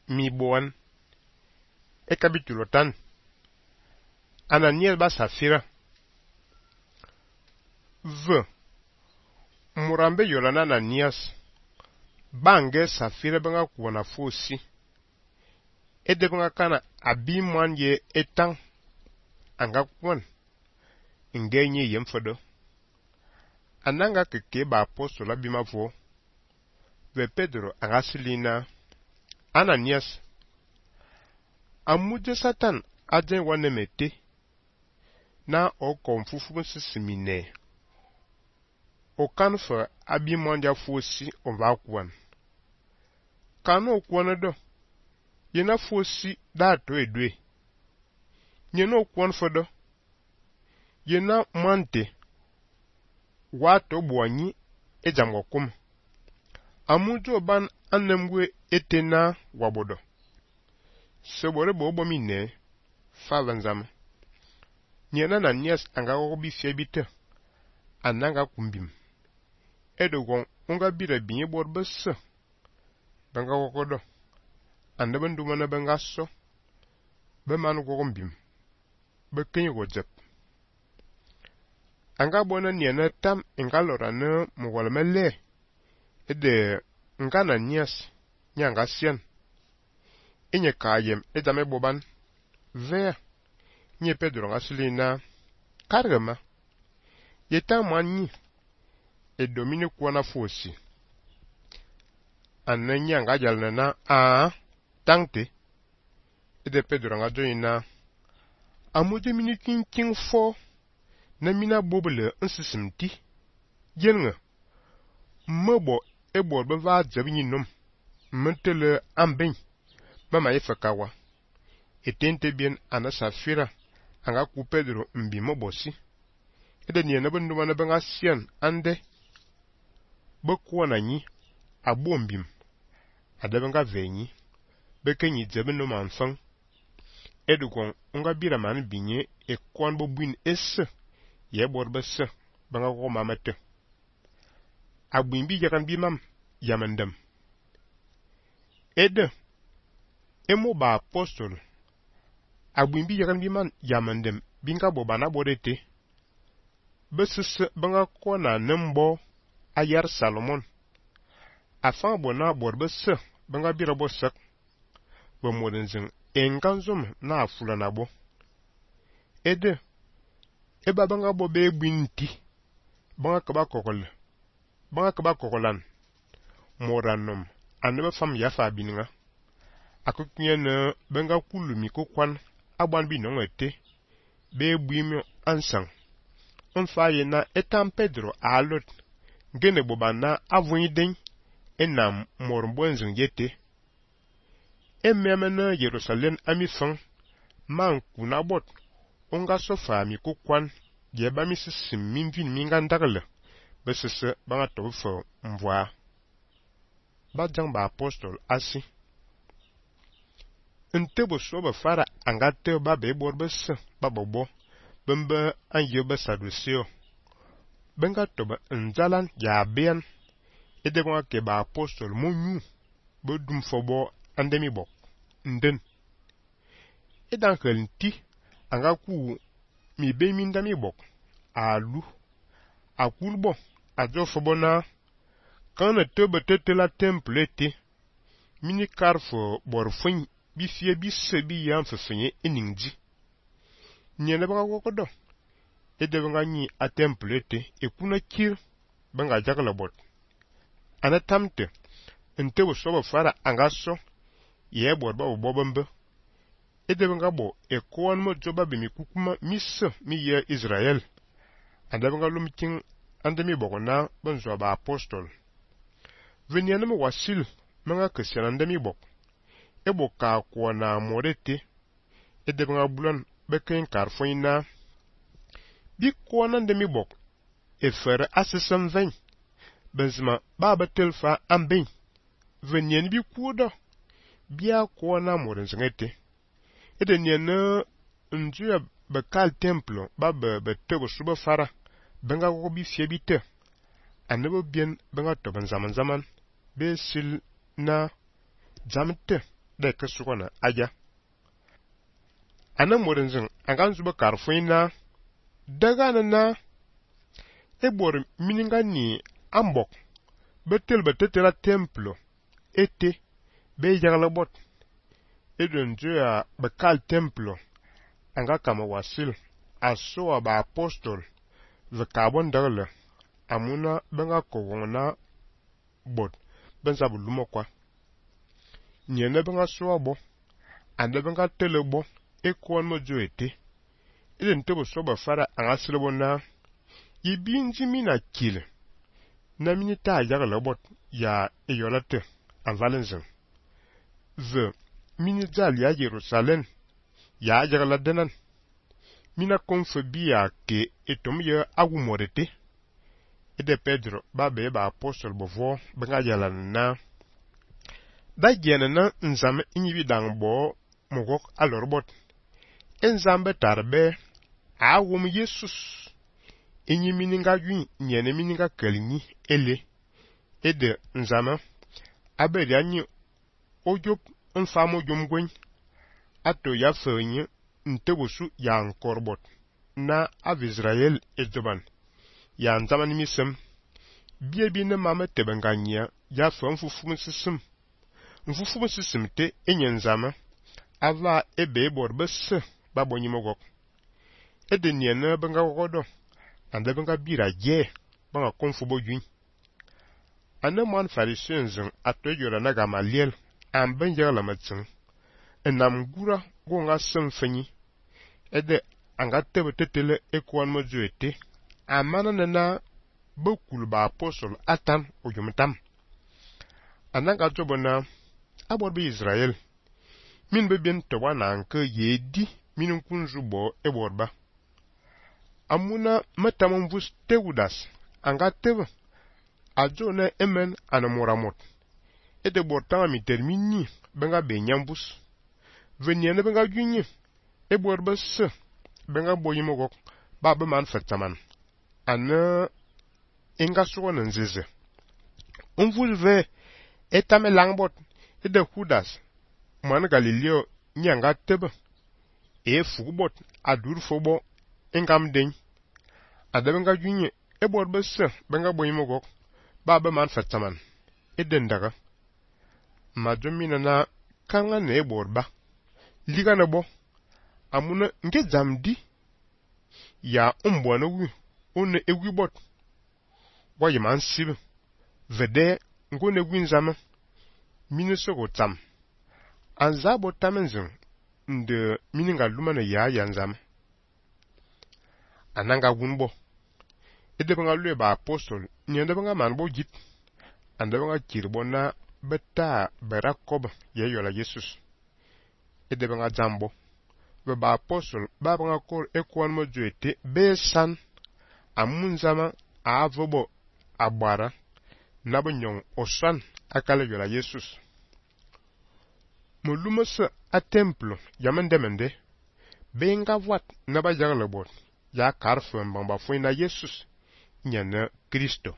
mi boan. E capítulo tan. Ananias ba Safira. Murambe yolana Ananias. Bange Safira banga kuwana fosi. Ede banga kana abimwan ye etang. Anga kwan. Ngenye yemfodo. Ananga keke ba apostola bimavo. Ve Pedro angasilina. Ananias. Amuje Satan ajen wanemete. Na o konfufu sisimine. O kanfa abimwanja fosi on va kwan. Kano kwan do. Yena fosi da to edwe. Nyeno kwan fodo. Yena mante. Wato buanyi ejamwakum. Amujo ban anemwe etena wabodo. Sebore bobo mine favanzam. Nyena Ananias anga obi fiebite. Ananga kumbim. Edogon unga bira binye borbesa. Banga wakodo. Andaban dumana banga so. Bemanu gogombim. Bekenye wajep. Anga bona nyena tam ingalora ne mwalmele. Ede nga Ananias nyanga sian. Inye kayem edame boban. Vea. Nye Pedro ngasilina. Kargama. Yeta manyi. E domine kuwana fosi. Ananya nga jalnana tangte. Ede Pedro nga joina. Amuje mini king fo. Na mina bobele nsisimti. Yenga. Mebo ebo beva jabini nom. Mentele amben. Mama yefakawa. Etente bien ana Safira. Anga ku Pedro mbi mobosi. Ede nye nebe ndumana benga sian ande. Bekwana nyi. Abombim. Adebenga venyi. Bekenyi jebe no manfang. Edukon unga bira man binye e kwan bobuin esse. Ye borbese. Benga ko mamete. Abuimbi yakan bimam. Yamandem. Ede. Emo ba apostol. Abuimbi yakan biman yamandem. Binga bobana bodete. Besese benga kona nembo. Ayar Salomon. Afan bona borbese. Benga bira bosak. Bemodenzing. Enganzom na afula nabo. Ede. Eba benga bobe binti. Benga kaba kokol. Benga kaba kokolan. Moranom. Anebe fam yafa bininga. Akukunye ne benga kulumi kukwan. Aban binongete. Be buimyo ansang. Mfaye na etam Pedro alot. Gene bobana avunyi den. Enam morbonzing yete. Ememene Jerusalem amifang. Man kunabot. Onga sofa mi kukwan. Jeba mi sisim minvin mingandagle. Besese banga tofo mvoa. Badjang ba apostol asi. Ntebo soba fara angate ba bebor bese babobo. Bembe anje besadusio. Benga toba nzalan ya bean. Edegwa ke ba apostol monyu. Bodum fobo andemi bok. Nden. Edan kelnti. Anga ku mi be mindami bok. Alu. Akulbo. Ajo fobo na. Kana tebe tete la temple te. Mini karfo borfin. Bifie bisebi yan fefenye eningji. Nyene banga wakodo. Ede banga nyi a temple te. Ekuna kir. Banga jakala bot. Ana tamte. Ntebo soba fara angaso. Ye borba ubobambe. Ede banga bo. Ekwan mo joba bimi kukuma misse mi ye Israel. Ade banga lumiking. Ande mi bokona. Benzo ba apostol. Venyane mo wasil. Manga kesyan ande mi bok. Ebo ka kwa na morete. Ede banga bulan. Beken karfoina. Bi kwa nande mi bok. Efere asesem ven. Benzima baba telfa amben. Venyen bi kuda. Bia kwa na morenzengete. Ede nyene njuya bekal templo. Baba betego suba fara. Benga gobi fiebite. Anebo bien benga toban zaman. Be sil na jamte. de ke sugona aja ana morinzin angan zuba karfuina daga na ebor mininga ni ambok betel betetela templo ete be jagla bot edon joya bekal templo anga kama wasil aso ba apostol ve carbon dagle amuna benga kogona bot benza bulumo kwa nyene benga so bo ande benga telebo ekon mo joete eden tebo so ba fara anga silebo na yibinji mina kile na minita jagla bot ya eyolate an valenzen ve minijal ya Jerusalem ya jagla denan mina konfobia ke etom ye agumorete ede Pedro ba be ba apostol bovo benga jala na da jena na nzame inyibi dangbo mogok alorbot enzambe tarbe awum Jesus inyi mininga yun nyene mininga kelni ele ede nzama abedi anyi ojop mfamo jomgwen ato ya fenyi ntebosu ya nkorbot na av Israel ejoban ya nzama nimisem biebi ne mama tebenganya ya fe mfufumu sisim te enye nzama ava ebe bor bese babonyi mogok ede niene benga godo ande benga bira je banga konfubo jun ane man farisenzin atojora na Gamaliel amben jala matsin enam gura gonga semfenyi ede anga tebe tetele ekwan mojuete amana na bekul ba apostol atan ojumtam ananga jobona aborbe Israel min be bien to wana anke yedi min kunzu bo eborba amuna matamon vus teudas anga tebe ajone emen anamoramot ede bortama mi termini benga benyambus veniene benga gunyi eborba se benga boyimogok ba be man fetaman ana inga suwana nzeze umvulve etame langbot ede Judas man Galileo nyanga tebe fugbot adur fobo ingam den adabenga gunye eborba se benga boyimogok ba be man fetaman eden daga majomina na kanga ne eborba liga na bo amuna nge zamdi ya umbwana wi one ewi bot waye man sibe vede ngone gwinzama minisogo tam anzabo tamenzin nde mininga lumana ya yanzama ananga gunbo ede banga lue ba apostol nyende banga manbo jip ande banga kirbo na beta berakob ye yola Jesus ede banga zambo be ba apostol ba banga kor ekwan mo joete be san amunzama avobo abara nabo nyong osan akale yola Jesus molumasa a templo yamendemende benga wat naba jaglebot ya karfem bamba fuina Jesus nyana Kristo